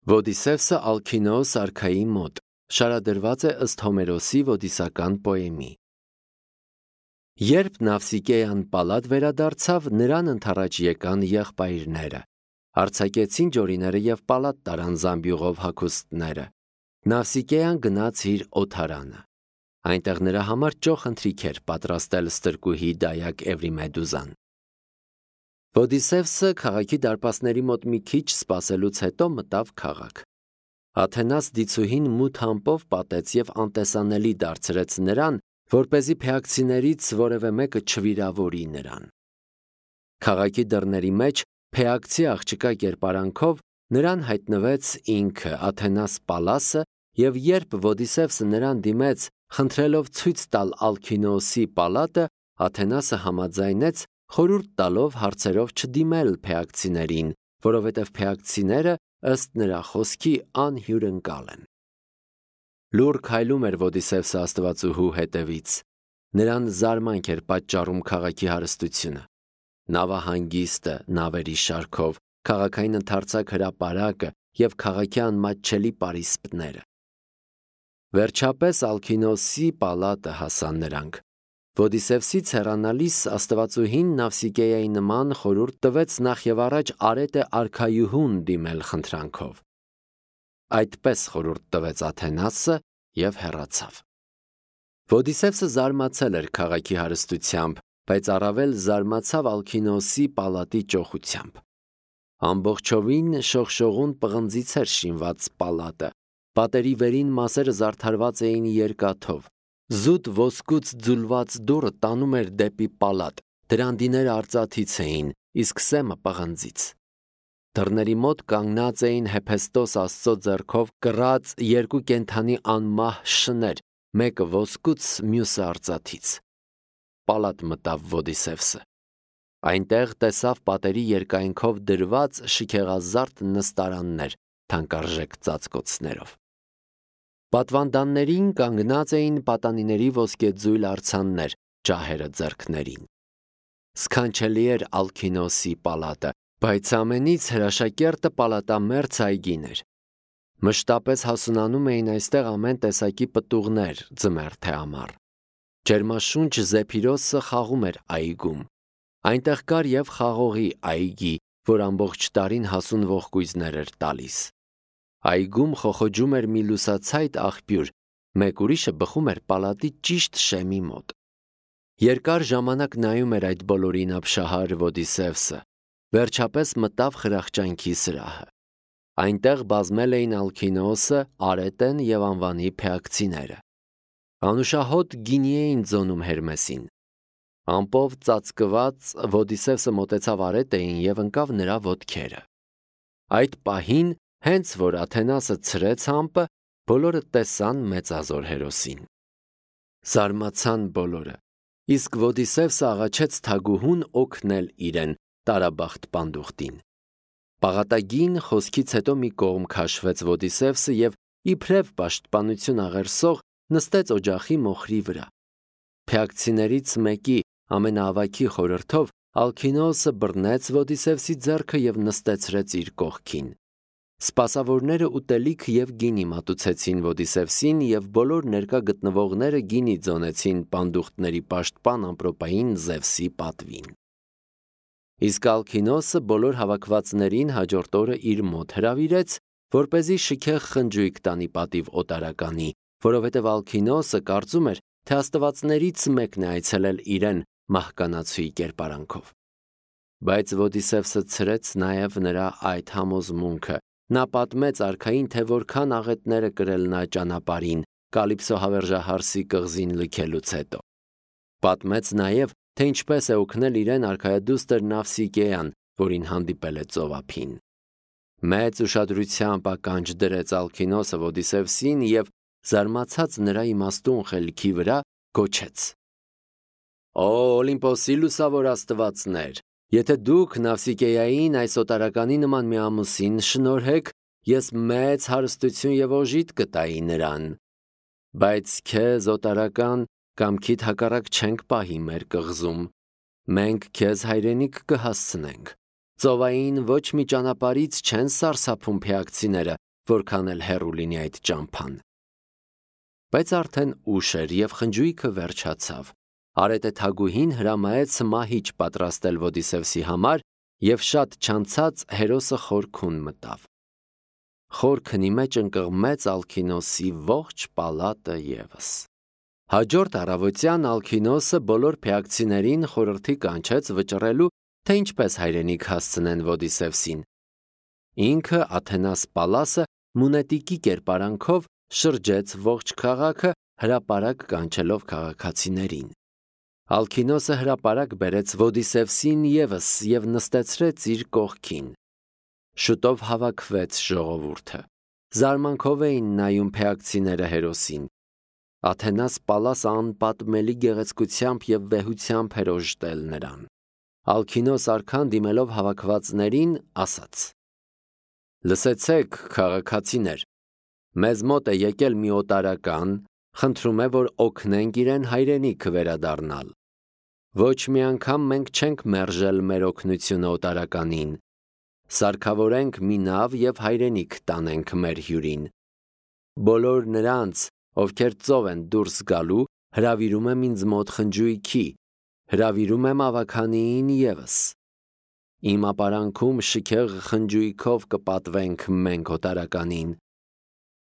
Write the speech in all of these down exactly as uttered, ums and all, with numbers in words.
Ոդիսևսը Ալքինոոս արքայի մոտ շարադրված է ըստ Հոմերոսի ոդիսական պոեմի։ Երբ Նավսիկեան Պալատ վերադարձավ, նրան ընդառաջ եկան եղբայրները, արձակեցին ջորիները և պալատ տարան զամբյուղով հագուստները։ Նավսիկեան գնաց իր օթարանը։ Այնտեղ նրա համար ճոխ ընթրիք էր պատրաստել ստրկուհի դայակ Էվրիմեդուզան։ Ոդիսևսը քաղաքի դարպասների մոտ մի քիչ սպասելուց հետո մտավ քաղաք։ Աթենաս դիցուհին մութ համպով պատեց և անտեսանելի դարձրեց նրան, որպեսզի փեակցիներից որևէ մեկը չվիրավորի նրան։ Քաղաքի դռների մեջ փեակցի աղջկա կերպարանքով նրան հայտնվեց ինքը Աթենաս Պալասը, և երբ Ոդիսևսը նրան դիմեց, խնդրելով ցույց տալ Ալքինոոսի պալատը, Աթենասը համաձայնեց, խորհուրդ տալով հարցերով չդիմել փեակցիներին, որովհետև փեակցիները ըստ նրա խոսքի անհյուրընկալ են։ Լուռ քայլում էր Ոդիսևսը աստվածուհու հետևից։ Նրան զարմանք էր պատճառում քաղաքի հարստությունը։ Նավահանգիստը, նավերի շարքով, քաղաքային ընդարձակ հրապարակը և քաղաքի անմատչելի պարիսպները։ Վերջապես Ալքինոոսի պալատը հասան նրանք։ Ոդիսևսից հեռանալիս աստվածուհին Նավսիկեայի նման խորհուրդ տվեց նախ և առաջ արետը արքայուհուն դիմել խնդրանքով։ Այդպես խորհուրդ տվեց Աթենասը և հեռացավ։ Ոդիսևսը զարմացել էր քաղաքի հարստությամբ, բայց առավել զարմացավ Ալքինոոսի պալատի ճոխությամբ։ Ամբողջովին շողշողուն պղնձից էր շինված պալատը, պատերի վերին մասերը զարդարված էին երկաթով։ Զուտ ոսկուց ձուլված դուռը տանում էր դեպի պալատ, դրանդիները արծաթից էին, իսկ սեմը պղնձից։ Դռների մոտ կանգնած էին Հեփեստոս աստծո ձեռքով կռած երկու կենդանի անմահ շներ, մեկը ոսկուց, մյուսը արծաթից։ Պալատ մտավ Ոդիսևսը։ Այնտեղ տեսավ պատերի երկայնքով դրված շքեղազարդ նստարաններ, թանկարժեք ծածկոցներով։ Պատվանդաններին կանգնած էին պատանիների ոսկեձույլ արձաններ, ջահերը ձեռքներին։ Սքանչելի էր Ալքինոոսի պալատը, բայց ամենից հրաշակերտը պալատամերձ այգին էր։ Մշտապես հասունանում էին այստեղ ամեն տեսակի պտուղներ, ձմեռ թե ամառ։ Ջերմաշունչ Զեփիրոսը խաղում էր այգում։ Այնտեղ կար և խաղողի այգի, որ ամբողջ տարին հասուն ողկույզներ էր տալիս։ Այգում խոխոջում էր մի լուսացայտ աղբյուր, մեկ ուրիշը բխում էր պալատի ճիշտ շեմի մոտ։ Երկար ժամանակ նայում էր այդ բոլորին ապշահար Ոդիսևսը, վերջապես մտավ խրախճանքի սրահը։ Այնտեղ բազմել էին Ալքինոոսը, Արետեն և անվանի փեակցիները։ Անուշահոտ գինի էին ձոնում Հերմեսին։ Ամպով ծածկված Ոդիսևսը մոտեցավ Արետեին և ընկավ նրա ոտքերը։ Այդ պահին, հենց որ Աթենասը ցրեց համպը, բոլորը տեսան մեծազոր հերոսին։ Զարմացան բոլորը, իսկ Ոդիսևսը աղաչեց թագուհուն օգնել իրեն, տարաբախտ պանդուխտին։ Պաղատագին խոսքից հետո մի կողմ քաշվեց Ոդիսևսը և իբրև պաշտպանություն աղերսող նստեց օջախի մոխրի վրա։ Փեակցիներից մեկի ամենաավագի խորհրդով Ալքինոոսը բռնեց Ոդիսևսի ձեռքը և նստեցրեց իր կողքին։ Սպասավորները ուտելիք և գինի մատուցեցին Ոդիսևսին, և բոլոր ներկա գտնվողները գինի ձոնեցին պանդուխտների պաշտպան ամպրոպային Զևսի պատվին։ Իսկ Ալքինոոսը բոլոր հավաքվածներին հաջորդ օրը իր մոտ հրավիրեց, որպեսզի շքեղ խնջույք տանի պատիվ օտարականի, որովհետև Ալքինոոսը կարծում էր, թե աստվածներից մեկն է այցելել իրեն մահկանացուի կերպարանքով։ Բայց Ոդիսևսը ցրեց նաև նրա այդ համոզմունքը։ Նա պատմեց արքային, թե որքան աղետներ է կրել նա ճանապարհին, Կալիպսո հավերժահարսի կղզին լքելուց հետո։ Պատմեց նաև, թե ինչպես է օգնել իրեն արքայադուստր Նավսիկեան, որին հանդիպել է ծովափին։ Մեծ ուշադրությամբ ականջ դրեց Ալքինոոսը Ոդիսևսին և, զարմացած նրա իմաստուն խելքի վրա, գոչեց. «Օ Օլիմպոսի լուսավոր աստվածներ, եթե դուք Նավսիկեային այս օտարականի նման մի ամուսին շնորհեք, ես մեծ հարստություն և օժիտ կտայի նրան։ Բայց քեզ, օտարական, կամքիդ հակառակ չենք պահի մեր կղզում։ Մենք քեզ հայրենիք կհասցնենք։ Ծովային ոչ մի ճանապարհից չեն սարսափում փեակցիները, որքան էլ հեռու լինի այդ ճամփան։ Բայց արդեն ուշ էր և խնջույքը վերջացավ։ Արետե թագուհին հրամայեց մահիճ պատրաստել Ոդիսևսի համար և շատ չանցած հերոսը խոր քուն մտավ։ Խոր քնի մեջ ընկղմեց Ալքինոսի ողջ պալատը ևս։ Հաջորդ առավոտյան Ալքինոսը բոլոր փեակցիներին խորհրդի կանչեց վճռելու, թե ինչպես հայրենիք հասցնեն Ոդիսևսին։ Ինքը Աթենաս Պալասը մունետիկի կերպարանքով շրջեց ողջ քաղաքը, հրապարակ կանչելով քաղաքացիներին։ Ալքինոսը հրապարակ բերեց Ոդիսևսին ևս և նստեցրեց իր կողքին։ Շուտով հավաքվեց ժողովուրդը։ Զարմանքով էին նայում փեակցիները հերոսին։ Աթենաս Պալասը անպատմելի գեղեցկությամբ և վեհությամբ էր օժտել նրան։ Ալքինոս արքան դիմելով հավաքվածներին ասաց. «Լսեցեք, քաղաքացիներ, մեզ մոտ է եկել մի օտարական, խնդրում է, որ օգնենք իրեն հայրենիք վերադառնալ։ Ոչ մի անգամ մենք չենք մերժել մեր օգնությունը օտարականին։ Սարքավորենք մի նավ և հայրենիք տանենք մեր հյուրին։ Բոլոր նրանց, ովքեր ծով են դուրս գալու, հրավիրում եմ ինձ մոտ խնջույքի, հրավիրում եմ ավագանիին ևս։ Իմ ապարանքում շքեղ խնջույքով կպատվենք մենք օտարականին։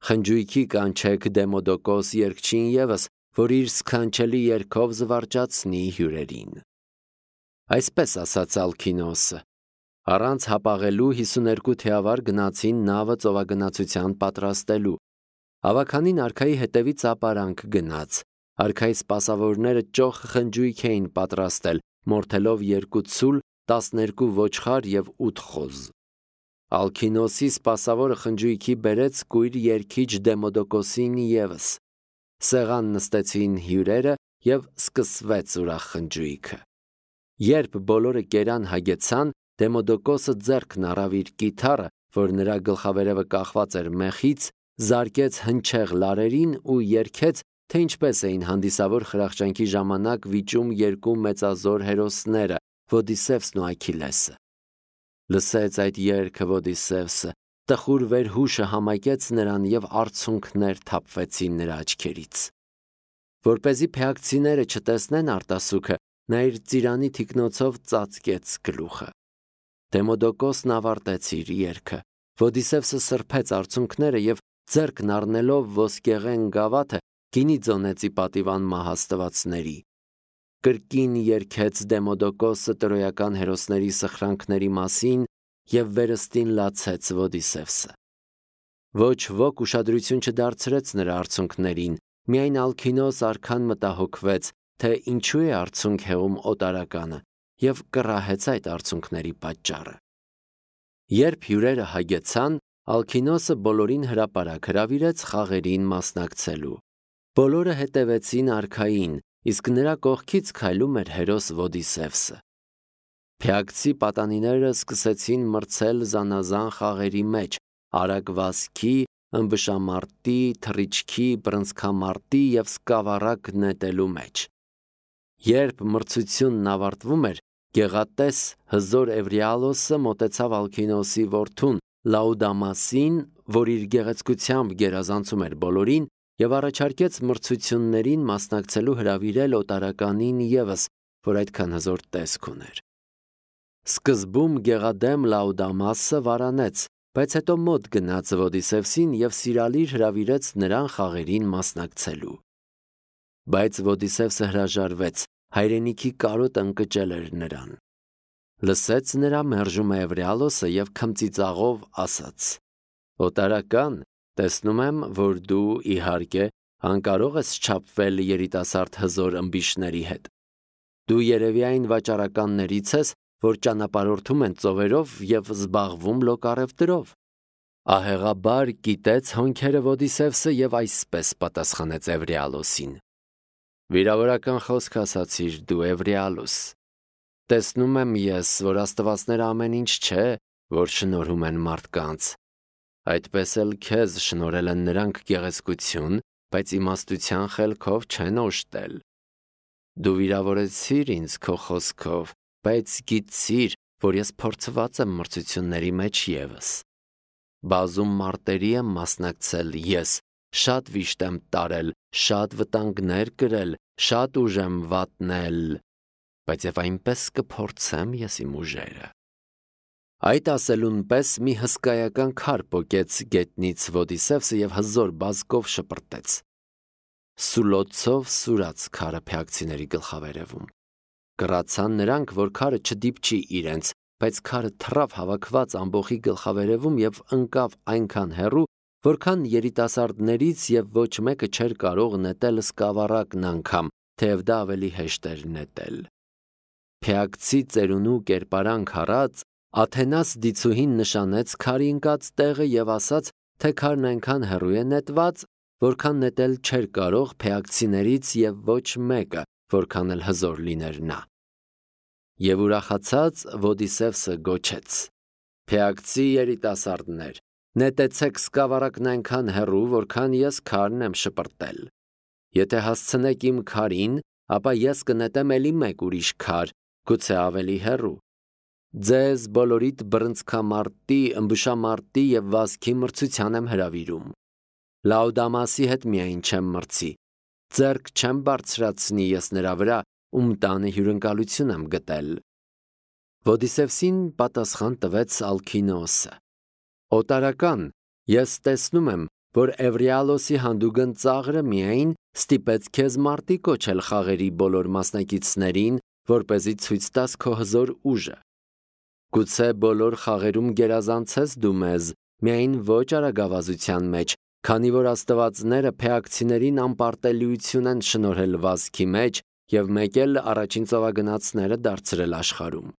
Խնջույքի կանչեք Դեմոդոկոս երգչին ևս, որ իր սքանչելի երգով զվարճացնի հյուրերին»։ Այսպես ասաց Ալքինոսը։ Առանց հապաղելու հիսուներկու թիավար գնացին նավը ծովագնացության պատրաստելու։ Ավագանին արքայի հետևից ապարանք գնաց։ Արքայի սպասավորները ճոխ խնջույք էին պատրաստել, մորթելով երկու ցուլ, տասներկու ոչխար և ութ խոզ։ Ալքինոսի սպասավորը խնջույքի բերեց կույր երգիչ Դեմոդոկոսին ևս։ Սեղան նստեցին հյուրերը և սկսվեց ուրախ խնջույքը։ Երբ բոլորը կերան հագեցան, Դեմոդոկոսը ձեռքն առավ իր կիթառը, որ նրա գլխավերևը կախված էր մեխից, զարկեց հնչեղ լարերին ու երգեց, թե ինչպես էին հանդիսավոր խրախճանքի ժամանակ վիճում երկու մեծազոր հերոսները՝ Ոդիսևսն ու Աքիլեսը։ Լսեց այդ երգը Ոդիսևսը, տխուր վերհուշը համակեց նրան և արցունքներ թափվեցին նրա աչքերից։ Որպեսզի փեակցիները չտեսնեն արտասուքը, նա իր ծիրանի թիկնոցով ծածկեց գլուխը։ Դեմոդոկոսն ավարտեց իր երգը։ Ոդիսևսը սրբեց արցունքները և ձեռքն առնելով ոսկեղեն գավաթը գինի ձոնեց ի պատիվան մահաստվածների։ Կրկին երգեց Դեմոդոկոսը տրոյական հերոսների սխրանքների մասին և վերստին լացեց Ոդիսևսը։ Ոչ ոք ուշադրություն չդարձրեց նրա արցունքներին, միայն Ալքինոս արքան մտահոգվեց, թե ինչու է արցունք հեղում օտարականը, և կռահեց այդ արցունքների պատճառը։ Երբ հյուրերը հագեցան, Ալքինոսը բոլորին հրապարակ հրավիրեց խաղերին մասնակցելու։ Բոլորը հետևեցին արքային, իսկ նրա կողքից քայլում էր հերոս Ոդիսևսը։ Փեակցի պատանիները սկսեցին մրցել զանազան խաղերի մեջ՝ արագ-վազքի, ըմբշամարտի, թռիչքի, բռնցքամարտի և սկավառակ նետելու մեջ։ Երբ մրցությունն ավարտվում էր, գեղատես հզոր Էվրիալոսը մոտեցավ Ալքինոսի որդուն Լաուդամասին, որ իր գեղեցկությամբ գերազանցում էր բոլորին, և առաջարկեց մրցություններին մասնակցելու հրավիրել օտարականին ևս, որ այդքան հզոր տեսք ուներ։ Սկզբում գեղադեմ Լաուդամասը վարանեց, բայց հետո մոտ գնաց Ոդիսևսին և սիրալիր հրավիրեց նրան խաղերին մասնակցելու։ Բայց Ոդիսևսը հրաժարվեց, հայրենիքի կարոտը ընկճել էր նրան։ Լսեց նրա մերժումը Էվրիալոսը և քմծիծաղով ասաց. «Օտարական, տեսնում եմ, որ դու, իհարկե, անկարող ես չափվել երիտասարդ հզոր ըմբիշների հետ։ Դու երևի այն վաճառականներից ես, որ ճանապարհորդում են ծովերով և զբաղվում լոկառևտրով»։ Ահեղաբար կիտեց հոնքերը Ոդիսևսը և այսպես պատասխանեց Էվրիալոսին. «Վիրավորական խոսք ասացիր դու, Էվրիալոս։ Տեսնում եմ ես, որ աստվածները ամեն ինչ չէ, որ շնորհում են մարդկանց։ Այդպես էլ քեզ շնորհել են նրանք գեղեցկություն, բայց իմաստության խելքով չեն օժտել։ Դու վիրավորեցիր ինձ քո խոսքով, բայց գիտցիր, որ ես փորձված եմ մրցությունների մեջ ևս։ Բազում մարտերի եմ մասնակցել ես, շատ վիշտ եմ տարել, շատ վտանգներ կրել, շատ ուժ եմ վատնել, բայց եւ այնպես կփորձեմ ես իմ ուժերը։ Այդ ասելուն պես մի հսկայական քար պոկեց գետնից Ոդիսևսը եւ հզոր բազկով շպրտեց։ Սուլոցով սուրաց քարը փեակցիների գլխավերևում։ Կռացան նրանք, որ քարը չդիպչի իրենց, բայց քարը թռավ հավաքված ամբոխի գլխավերևում եւ ընկավ այնքան հեռու, որքան երիտասարդներից եւ ոչ մեկը չէր կարող նետել սկավառակն անգամ, թեև դա ավելի հեշտ էր նետել։ Փեակցի ծերունու կերպարանք առած, Աթենաս դիցուհին նշանեց քարի ընկած տեղը եւ ասաց, թե քարն այնքան հեռու է նետված, որքան նետել չէր կարող փեակցիներից եւ ոչ մեկը, որքան էլ հզոր լիներ նա։ Եվ ուրախացած Ոդիսևսը գոչեց. «Փեակցի երիտասարդներ, նետեցեք սկավառակն այնքան հեռու, որքան ես քարն եմ շպրտել։ Եթե հասցնեք իմ քարին, ապա ես կնետեմ էլի մեկ ուրիշ քար, գուցե ավելի հեռու։ Ձեզ բոլորիդ բռնցքամարտի, ըմբշամարտի եւ վազքի մրցության եմ հրավիրում։ Լաուդամասի հետ միայն չեմ մրցի, ձեռք չեմ բարձրացնի ես նրա վրա, ում տանը հյուրընկալություն եմ գտել»։ Ոդիսևսին պատասխան տվեց Ալքինոսը. «Օտարական, ես տեսնում եմ, որ Էվրիալոսի հանդուգն ծաղրը միայն ստիպեց քեզ մարտի կոչել խաղերի բոլոր մասնակիցներին, որպեսզի ցույց տաս քո հզոր ուժը։ Գուցե բոլոր խաղերում գերազանցես դու մեզ, միայն ոչ արագավազության մեջ, քանի որ աստվածները փեակցիներին անպարտելիություն են շնորհել վազքի մեջ եւ մեկ էլ առաջին ծովագնացները դարձրել աշխարհում։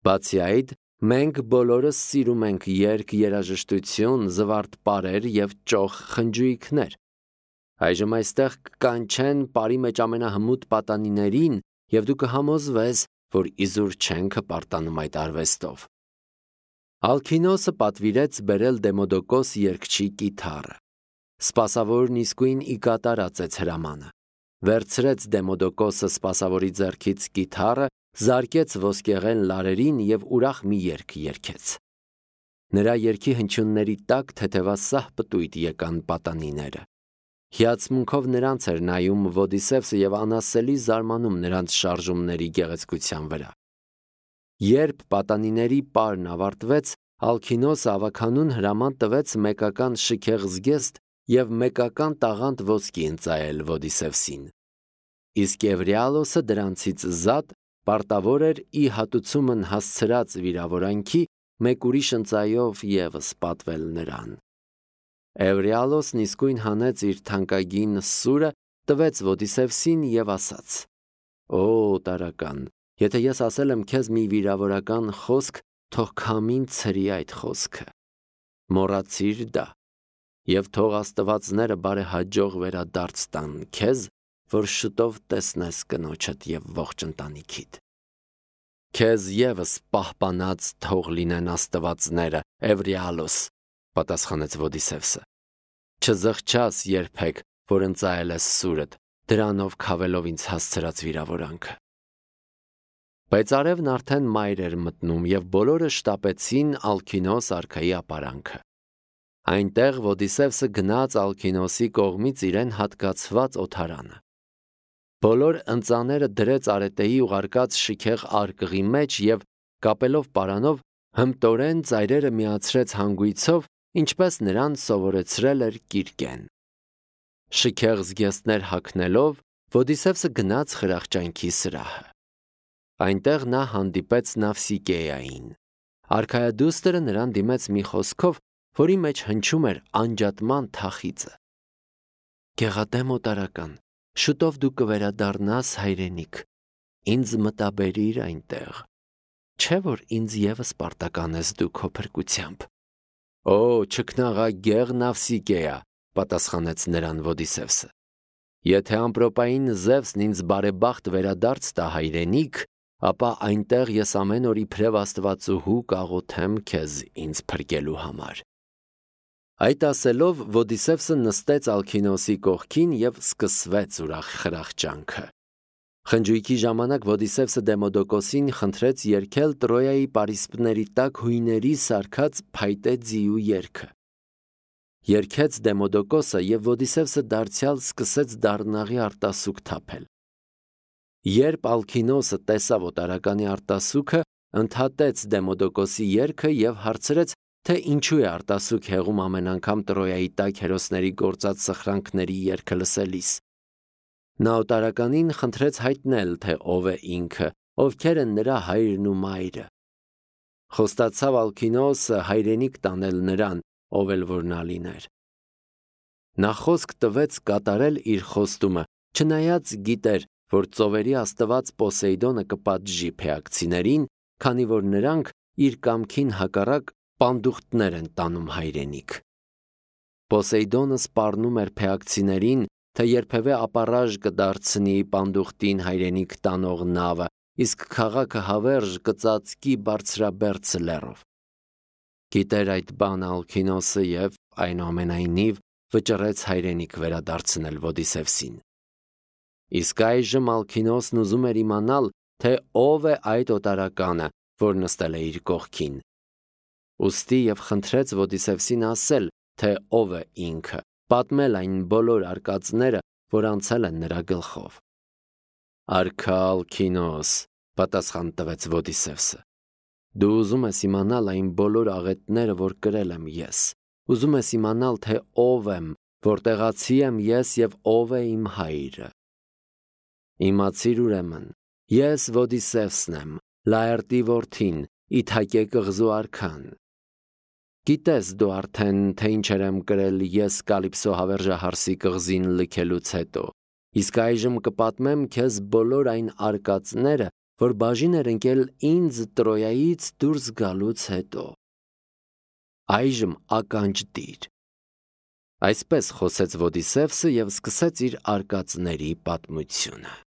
Բացի այդ, մենք բոլորս սիրում ենք երգ, երաժշտություն, զվարթ պարեր եւ ճոխ խնջույքներ։ Այժմ այստեղ կկանչեն բարի մեջ ամենահմուտ պատանիներին եւ դու կհամոզվես, որ իզուր չենք հպարտանում այդ արվեստով»։ Ալքինոսը պատվիրեց բերել Դեմոդոկոս երգչի կիթառը։ Սպասավորն իսկույն ի կատարածեց հրամանը։ Վերցրեց Դեմոդոկոսը սպասավորի ձեռքից կիթառը, զարկեց ոսկեղեն լարերին եւ ուրախ մի երգ երգեց։ Նրա երգի հնչյունների տակ թեթևասահ պտույտ եկան պատանիները։ Հիացմունքով նրանց էր նայում Ոդիսևսը եւ անասելի զարմանում նրանց շարժումների գեղեցկության վրա։ Երբ պատանիների պարն ավարտվեց, Ալքինոսը ավականուն հրաման տվեց մեկական շքեղ զգեստ եւ մեկական տաղանդ ոսկի ընծայել Ոդիսևսին։ Իսկ Էվրիալոսը դրանցից զատ պարտավոր էր ի հատուցումն հասցրած վիրավորանքի մեկ ուրիշ ընծայով եւս պատվել նրան։ Էվրիալոսն իսկույն հանեց իր թանկագին սուրը, տվեց Ոդիսևսին եւ ասաց. «Օ, տարական, եթե ես ասել եմ քեզ մի վիրավորական խոսք, թող քամին ցրի այդ խոսքը։ Մոռացիր դա, եւ թող աստվածները բարեհաջող վերադարձ տան քեզ, որ շուտով տեսնես կնոջդ եւ ողջ ընտանիքիդ։ Քեզ եւս պահպանած թող լինեն աստվածները, Էվրիալոս», պատասխանեց Ոդիսևսը։ «Չզղջաս երբեք, որ ընծայել ես սուրդ, դրանով քավելով ինձ հասցրած վիրավորանքը»։ Բայց արևն արդեն մայր էր մտնում եւ բոլորը շտապեցին Ալքինոս արքայի ապարանքը։ Այնտեղ Ոդիսևսը գնաց Ալքինոսի կողմից իրեն հատկացված օթարանը։ Բոլոր ընծաները դրեց արետեի ուղարկած շքեղ արկղի մեջ եւ կապելով պարանով հմտորեն ծայրերը միացրեց հանգույցով, ինչպես նրան սովորեցրել էր Կիրկեն։ Շքեղ զգեստներ հագնելով Ոդիսևսը գնաց խրախճանքի սրահը։ Այնտեղ նա հանդիպեց Նավսիկեային։ Արքայադուստրը նրան դիմեց մի խոսքով, որի մեջ հնչում էր անջատման թախիծը։ «Գեղատեմ օտարական, շուտով դու կվերադառնաս հայրենիք, ինձ մտաբերիր այնտեղ, չէ՞ որ ինձ եւս պարտական ես դու քո փրկությամբ»։ «Օ, չքնաղագեղ Նավսիկեա», պատասխանեց նրան Ոդիսևսը։ «Եթե ամպրոպային Զևսն ինձ բարեբախտ վերադարձ տա հայրենիք, ապա այնտեղ ես ամեն օր իբրև աստվածուհու կաղոթեմ քեզ ինձ փրկելու համար»։ Այդ ասելով Ոդիսևսը նստեց Ալքինոսի կողքին եւ սկսվեց ուրախ խրախճանքը։ Խնջույքի ժամանակ Ոդիսևսը Դեմոդոկոսին խնդրեց երգել Տրոյայի պարիսպների տակ հույների սարքած փայտե ձիու երգը։ Երգեց Դեմոդոկոսը, եւ Ոդիսևսը դարձյալ սկսեց դառնաղի արտասուք թափել։ Երբ Ալքինոսը տեսավ օտարականի արտասուքը, ընդհատեց Դեմոդոկոսի երգը եւ հարցրեց, թե ինչու է արտասուք հեղում ամեն անգամ Տրոյայի տակ հերոսների գործած սխրանքների երգը լսելիս։ Նա օտարականին խնդրեց հայտնել, թե ով է ինքը, ովքեր են նրա հայրն ու մայրը։ Խոստացավ Ալքինոսը հայրենիք տանել նրան, ով էլ որ նա լիներ։ Նա խոսք տվեց կատարել իր խոստումը, չնայած գիտեր, որ ծովերի աստված Պոսեյդոնը կպատժի փեակցիներին, քանի որ նրանք իր կամքին հակառակ պանդուխտներ են տանում հայրենիք։ Պոսեյդոնը սպառնում էր փեակցիներին, թե երբևէ ապառաժ կդարձնի պանդուխտին հայրենիք տանող նավը, իսկ քաղաքը հավերժ կծածկի բարձրաբերձ լեռով։ Գիտեր այդ բանը Ալքինոսը եւ այնուամենայնիվ վճռեց հայրենիք վերադարձնել Ոդիսևսին։ Իսկ այժմ Ալքինոսն ուզում էր իմանալ, թե ով է այդ օտարականը, որ նստել է իր կողքին։ Ուստի եւ խնդրեց Ոդիսևսին ասել, թե ով է ինքը, պատմել այն բոլոր արկածները, որ անցել են նրա գլխով։ Արքա Ալքինոս, պատասխան տվեց Ոդիսևսը, դու ուզում ես իմանալ այն բոլոր աղետները, որ կրել եմ ես։ Ուզում ես իմանալ, թե ով եմ, որտեղացի եմ ես եւ ով է իմ հայրը։ Իմացիր ուրեմն, ես Ոդիսևսն եմ, Լաերտի որդին, Իթակե կղզու արքան։ Գիտես դու արդեն, թե ինչեր եմ կրել ես Կալիպսո հավերժահարսի կղզին լքելուց հետո, իսկ այժմ կպատմեմ քեզ բոլոր այն արկածները, որ բաժին էր ընկել ինձ Տրոյայից դուրս գալուց հետո։ Այժմ ականջ դիր։ Այսպես խոսեց Ոդիսևսը եւ սկսեց իր արկածների պատմությունը։